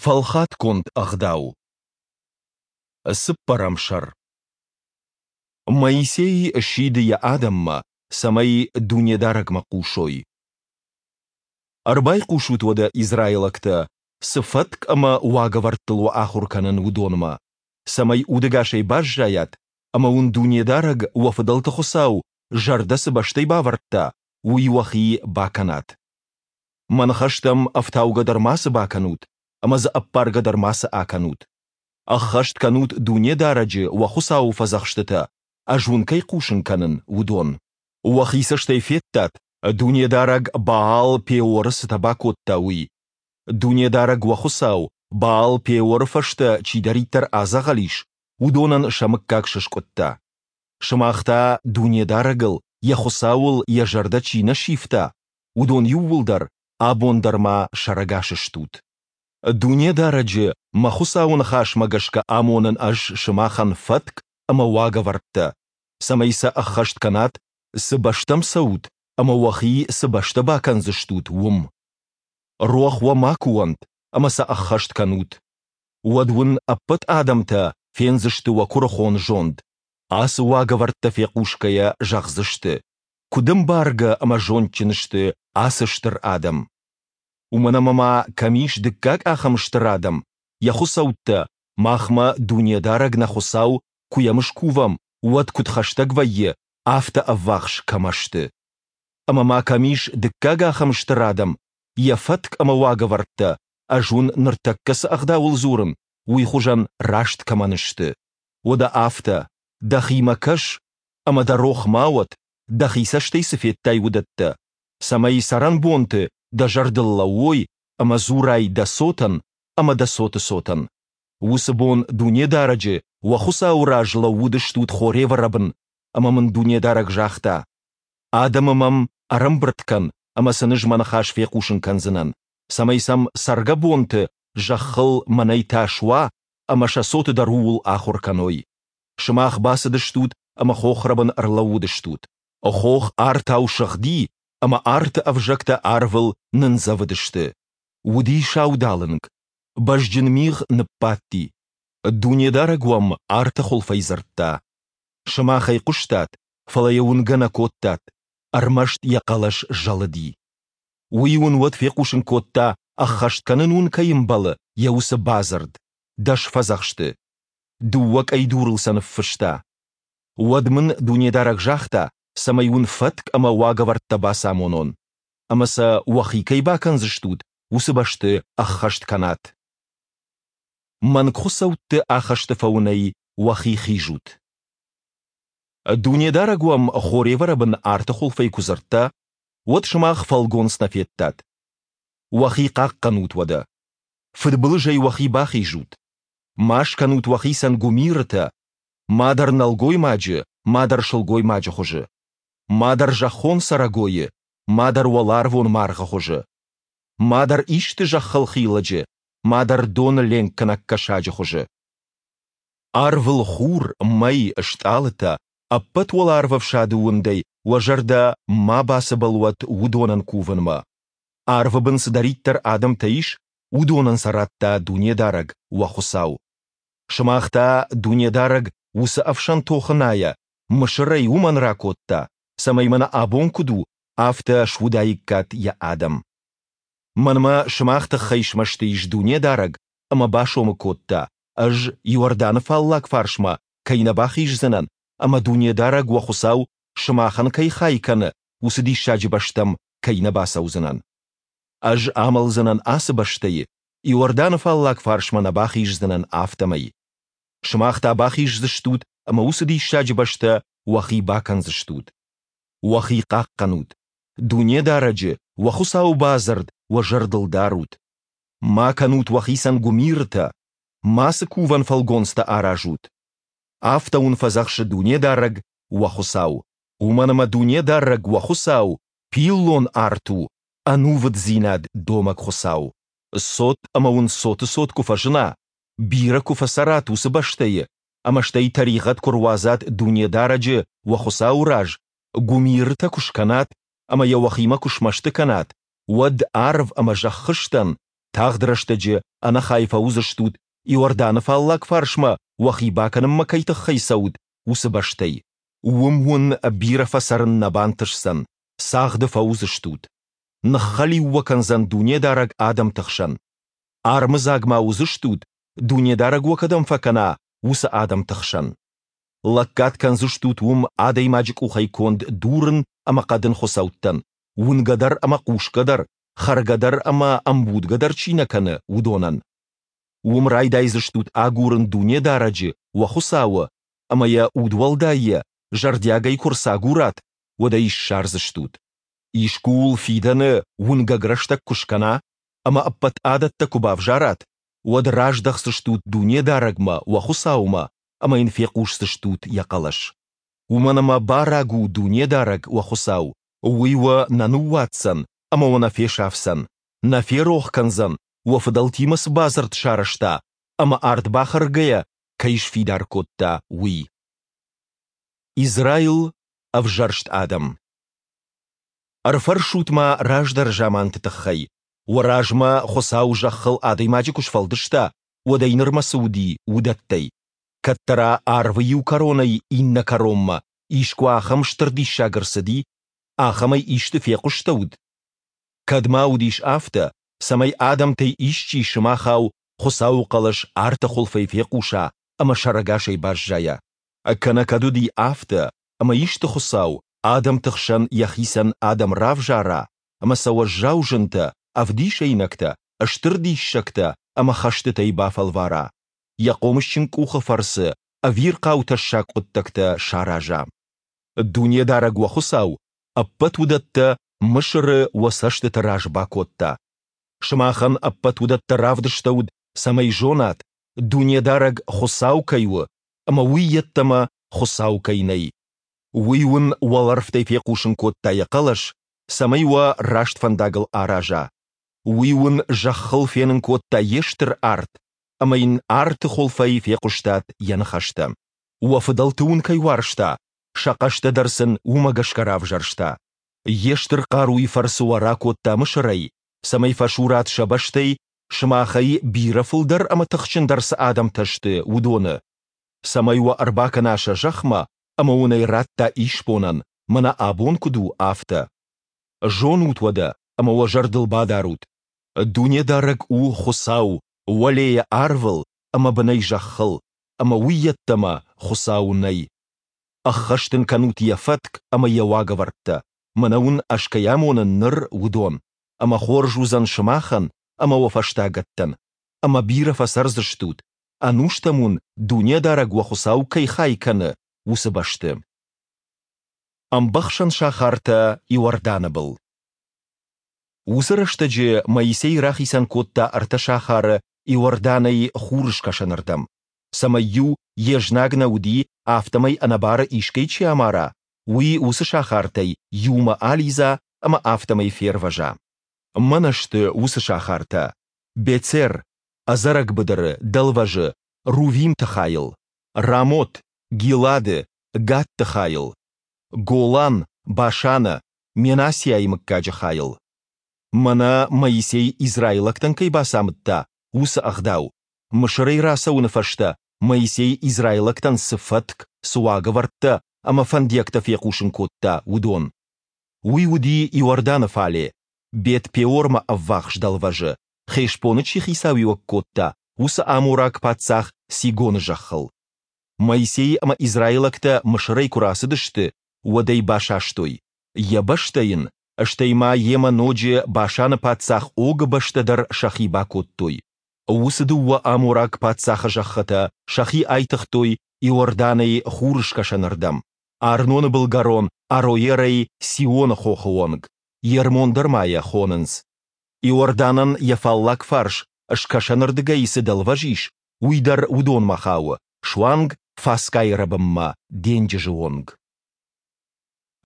Фӕлхатгонд ӕгъдау. Цыппӕрӕм сӕр. Моисей сиды йӕ адӕммӕ, цӕмӕй Дунедарӕгмӕ хъусой. Ӕрбайхъусут уӕдӕ, израилӕгтӕ, цы фӕтк ӕмӕ уагӕвӕрдтыл уӕ ахуыр кӕнын, уыдонмӕ, цӕмӕй удӕгасӕй баззайат ӕмӕ уын Дунедарӕг, уӕ фыдӕлты Хуыцау, зӕрдӕ цы бӕстӕй бавӕрдта, уый уӕхи бакӕнат. Мӕ ныхӕстӕм ӕфтаугӕ дӕр мацы бакӕнут ӕмӕ дзы ӕппаргӕ дӕр мацы акӕнут. Ӕххӕст кӕнут Дунедарӕджы, уӕ Хуыцауы фӕдзӕхстытӕ, ӕз уын кӕй хъусын кӕнын, уыдон. Уӕхи цӕстӕй федтат, Дунедарӕг Баал-Пеоры цытӕ бакодта, уый. Дунедарӕг уӕ Хуыцау Баал-Пеоры фӕстӕ чидӕриддӕр адзӕгъӕл ис, уыдонӕн сӕ мыггаг сыскъуыдта. Сымах та Дунедарӕгыл, йӕ Хуыцауыл йӕ зӕрдӕ чи нӕ сивта, уыдон иууылдӕр абон дӕр ма сӕрӕгас стут. Дунедарӕджы, мӕ Хуыцауы ныхасмӕ гӕсгӕ амонын ӕз сымахӕн фӕтк ӕмӕ уагӕвӕрдтӕ, цӕмӕй сӕ ӕххӕст кӕнат, цы бӕстӕм цӕут ӕмӕ уӕхи цы бӕстӕ бакӕндзыстут, уым. Рох уӕ макуы уӕнт ӕмӕ сӕ ӕххӕст кӕнут. Уӕд уын ӕппӕт адӕмтӕ фендзысты уӕ куырыхон зонд, ацы уагӕвӕрдтӕ фехъусгӕйӕ зӕгъдзысты, куыд ӕмбаргӕ ӕмӕ зондджын сты ацы стыр адӕм. Уымӕн ӕмӕ ма кӕм ис дыккаг ахӕм стыр адӕм, йӕ хуыцӕуттӕ, махмӕ Дунедарӕг нӕ Хуыцау, куы йӕм скувӕм, уӕд куыд хӕстӕг вӕййы, афтӕ ӕввахс кӕмӕ сты. Ӕмӕ ма кӕм ис дыккаг ахӕм стыр адӕм, йӕ фӕтк ӕмӕ уагӕвӕрдтӕ, ӕз уын ныртӕккӕ цы ӕгъдауыл дзурын, уый хуызӕн раст кӕмӕн сты. Уӕдӕ афтӕ, дӕхимӕ кӕс ӕмӕ дӕ рох ма уӕд, дӕхи цӕстӕй цы федтай, уыдӕттӕ, цӕмӕй цӕрӕнбонты дӕ зӕрдыл лӕууой ӕмӕ дзурай дӕ цотӕн ӕмӕ дӕ цоты цотӕн. Уыцы бон Дунедарӕджы, уӕ Хуыцауы раз лӕууыдыстут Хоревы рӕбын, ӕмӕ мын Дунедарӕг загъта: Адӕмы мӕм ӕрӕмбырд кӕн ӕмӕ сын ӕз мӕ ныхас фехъусын кӕндзынӕн, цӕмӕй сӕм цӕргӕбонты зӕххыл мӕнӕй тас уа ӕмӕ сӕ цоты дӕр ууыл ахуыр кӕной. Сымах бацыдыстут ӕмӕ хохрӕбын ӕрлӕууыдыстут. Хох артау сыгъди, ӕмӕ арты ӕвзӕгтӕ арвыл нындзӕвыдысты. Уыди саудалынг, бӕзджын мигъ ныббадти. Дунедарӕг уӕм арты хуылфӕй дзырдта. Сымах ӕй хъуыстат, фӕлӕ йӕ уынгӕ нӕ кодтат, ӕрмӕст йӕ хъӕлӕс зӕлыди. Уый уын уӕд фехъусын кодта, ӕххӕст кӕнын уын кӕй ӕмбӕлы, йӕ уыцы бадзырд, дӕ сфӕдзӕхсты. Дыууӕ къӕйдурыл сӕ ныффыста. Уӕд мын Дунедарӕг загъта, цӕмӕй уын фӕтк ӕмӕ уагӕвӕрдтӕ бацамонон, ӕмӕ сӕ уӕхи кӕй бакӕндзыстут, уыцы бӕсты ӕххӕст кӕнат. Мӕнгхуыцӕутты ахӕсты фӕуынӕй уӕхи хизут. Дунедарӕг уӕм Хоревы рӕбын арты хуылфӕй куы дзырдта, уӕд сымах фӕлгонц нӕ федтат. Уӕхи хъахъхъӕнут уӕдӕ. Фыдбылызӕй уӕхи бахизут. Ма скӕнут уӕхицӕн гуымирытӕ, мадӕр нӕлгоймаджы, мадӕр сылгоймаджы хуызы, мадӕр зӕххон цӕрӕгойы, мадӕр уӕларвон маргъы хуызы, мадӕр исты зӕххыл хилӕджы, мадӕр доны ленкгӕнӕг кӕсаджы хуызы. Арвыл хур, мӕй, стъалытӕ, ӕппӕт уӕларвӕфсады уындӕй уӕ зӕрдӕ ма бацыбӕл уӕд уыдонӕн кувынмӕ. Арвы бын цыдӕриддӕр адӕмтӕ ис, уыдонӕн сӕ радта Дунедарӕг, уӕ Хуыцау. Сымах та Дунедарӕг уыцы ӕфсӕн тохынайӕ Мысырӕй уымӕн ракодта, цӕмӕй мӕнӕ абон куыд у, афтӕ суыдаиккат йӕ адӕм. Мӕнмӕ сымах тыххӕй смӕсты ис Дунедарӕг ӕмӕ басомы кодта, ӕз Иорданы фаллаг фарсмӕ кӕй нӕ бахиздзынӕн ӕмӕ Дунедарӕг уӕ Хуыцау сымахӕн кӕй хай кӕны, уыцы диссаджы бӕстӕм кӕй нӕ бацӕудзынӕн. Ӕз амӕлдзынӕн ацы бӕстӕйы, Иорданы фаллаг фарсмӕ нӕ бахиздзынӕн, афтӕмӕй. Сымах та бахиздзыстут ӕмӕ уыцы диссаджы бӕстӕ уӕхи бакӕндзыстут. Уӕхи хъахъхъӕнут, Дунедарӕджы, уӕ Хуыцауы бадзырд уӕ зӕрдыл дарут. Ма кӕнут уӕхицӕн гуымирытӕ, мацы кувӕн фӕлгонцтӕ аразут. Афтӕ уын фӕдзӕхсы Дунедарӕг, уӕ Хуыцау. Уымӕн ӕмӕ Дунедарӕг, уӕ Хуыцау, пиллон арт у, ӕнувыддзинад домӕг Хуыцау. Цот ӕмӕ уын цоты цот куы фӕзына, бирӕ куы фӕцӕрат уыцы бӕстӕйы, ӕмӕ стӕй тӕригъӕд куы руадзат Дунедарӕджы, уӕ Хуыцауы раз, гуымирытӕ куы скӕнат ӕмӕ йӕ уӕхимӕ куы смӕсты кӕнат, уӕд арв ӕмӕ зӕххы стӕн. Тагъд рӕстӕджы ӕнӕхай фӕуыдзыстут, Иорданы фаллаг фарсмӕ уӕхи бакӕнынмӕ кӕй тыххӕй цӕут, уыцы бӕстӕй. Уым уын бирӕ фӕцӕрын нӕ бантысдзӕн, цагъды фӕуыдзыстут. Ныххӕлиу уӕ кӕндзӕн Дунедарӕг адӕмты хсӕн. Армыдзаг ма уыдзыстут, Дунедарӕг уӕ кӕдӕм фӕкӕна, уыцы адӕмты хсӕн. Лӕггад кӕндзыстут уым адӕймаджы къухӕй конд дурын ӕмӕ хъӕдын хуыцӕуттӕн, уынгӕ дӕр ӕмӕ хъусгӕ дӕр, хӕргӕ дӕр ӕмӕ ӕмбудгӕ дӕр чи нӕ кӕны, уыдонӕн. Уым райдайдзыстут агурын Дунедарӕджы, уӕ Хуыцауы, ӕмӕ йӕ удуӕлдайӕ, зӕрдиагӕй куы рцагурат, уӕд ӕй ссардзыстут. Искуы уыл фидӕны уынгӕг рӕстӕг куы скӕна ӕмӕ ӕппӕт адӕттӕ куы бавзарат, уӕд раздӕхдзыстут Дунедарӕгмӕ, уӕ Хуыцаумӕ, ӕмӕ йын фехъусдзыстут йӕ хъӕлӕс. Уымӕн ӕмӕ бӕрӕг у Дунедарӕг, уӕ Хуыцау, уый уӕ нӕ ныууадздзӕн ӕмӕ уӕ нӕ фесафдзӕн, нӕ ферох кӕндзӕн, уӕ фыдӕлтимӕ цы бадзырд сарӕзта ӕмӕ ард бахӕргӕйӕ кӕй сфидар кодта, уый. Израил – ӕвзӕрст адӕм. Ӕрфӕрсут-ма раздӕры заманты тыххӕй, уӕ размӕ Хуыцау зӕххыл адӕймаджы куы сфӕлдыста, уӕдӕй нырмӕ цы уыди, уыдӕттӕй. Кӕддӕра арвы иу кӕронӕй иннӕ кӕронмӕ искуы ахӕм стыр диссаг ӕрцыди, ахӕмӕй исты фехъуыстӕуыд? Кӕд ма уыдис афтӕ, цӕмӕй адӕмтӕй исчи сымахау Хуыцауы хъӕлӕс арты хуылфӕй фехъуса ӕмӕ сӕрӕгасӕй баззайа? Кӕнӕ кӕд уыди афтӕ, ӕмӕ исты Хуыцау адӕмты хсӕн йӕхицӕн адӕм равзара ӕмӕ сӕ уӕззау зынтӕ, ӕвдисӕйнӕгтӕ, стыр диссӕгтӕ ӕмӕ хӕстытӕй бафӕлвара, йӕ хъомысджын къухы фӕрцы ӕвирхъау тӕссаг хъуыддӕгтӕ сараза. Дунедарӕг уӕ Хуыцау ӕппӕт уыдӕттӕ Мысыры уӕ цӕстыты раз бакодта. Сымахӕн ӕппӕт уыдӕттӕ равдыстӕуыд, цӕмӕй зонат, Дунедарӕг Хуыцау кӕй у ӕмӕ уый йеддӕмӕ Хуыцау кӕй нӕй. Уый уын уӕлӕрвтӕй фехъусын кодта йӕ хъӕлӕс, цӕмӕй уӕ раст фӕндагыл араза. Уый уын зӕххыл фенын кодта йе стыр арт, ӕмӕ йын арты хуылфӕй фехъуыстат йӕ ныхӕстӕ. Уӕ фыдӕлты уын кӕй уарзта, сӕ хъӕстӕ дӕр сын уымӕ гӕсгӕ равзӕрста. Йе стыр хъаруйы фӕрцы уӕ ракодта Мысырӕй, цӕмӕй фӕсурат сӕ бӕстӕй, сымахӕй бирӕ фылдӕр ӕмӕ тыхджындӕр цы адӕмтӕ сты, уыдоны, цӕмӕй уӕ ӕрбакӕна сӕ зӕхмӕ ӕмӕ уын ӕй радта исбонӕн, мӕнӕ абон куыд у, афтӕ. Зонут уӕдӕ ӕмӕ уӕ зӕрдыл бадарут, Дунедарӕг у Хуыцау уӕлейӕ арвыл ӕмӕ бынӕй зӕххыл, ӕмӕ уый йеддӕмӕ Хуыцау нӕй. Ӕххӕст ын кӕнут йӕ фӕтк ӕмӕ йӕ уагӕвӕрдтӕ, мӕнӕ уын ӕз кӕй амонын ныр, уыдон, ӕмӕ хорз уыдзӕн сымахӕн ӕмӕ уӕ фӕстагӕттӕн, ӕмӕ бирӕ фӕцӕрдзыстут, ӕнустӕм уын Дунедарӕг уӕ Хуыцау кӕй хай кӕны, уыцы бӕсты. Ӕмбӕхсӕн сахартӕ Иорданы был. Уыцы рӕстӕджы Моисей рахицӕн кодта ӕртӕ сахары Иорданӕй хурыскӕсӕнырдӕм, цӕмӕй-иу йе знаг нӕ уыди, афтӕмӕй ӕнӕбары искӕй чи амара, уый уыцы сахартӕй иумӕ алидза ӕмӕ афтӕмӕй фервӕза. Мӕнӕ сты уыцы сахартӕ: Бецер, ӕдзӕрӕг быдыры, дӕлвӕзы, Рувимты хайыл, Рамот, Гилады, Гадты хайыл, Голан, Башаны, Менассиайы мыггаджы хайыл. Мӕнӕ Моисей израилӕгтӕн кӕй бацамыдта, уыцы ӕгъдау, Мысырӕй рацӕуыны фӕстӕ Моисей израилӕгтӕн цы фӕтк, цы уагӕвӕрдтӕ ӕмӕ фӕндиӕгтӕ фехъусын кодта, уыдон. Уый уыди Иорданы фале, Бет-Пеормӕ ӕввахс дӕлвӕзы, Хешбоны чи хицауиуӕг кодта, уыцы амораг паддзах Сигоны зӕххыл. Моисей ӕмӕ израилӕгтӕ Мысырӕй куы рацыдысты, уӕд ӕй басастой. Йӕ бӕстӕ йын, стӕй ма йемӕ ноджы Башаны паддзах Огы бӕстӕ дӕр сӕхи бакодтой. Уыцы дыууӕ амораг паддзахы зӕххытӕ сӕхи айтыгътой Иорданӕй хурыскӕсӕнырдӕм, Арноны былгӕрон Ароерӕй Сионы хохы онг, Ермон дӕр ма йӕ хонынц. Иорданӕн йӕ фаллаг фарс скӕсӕнырдыгӕй цы дӕлвӕз ис, уый дӕр уыдонмӕ хауы, суанг Фасгайы рӕбынмӕ, денджызы онг.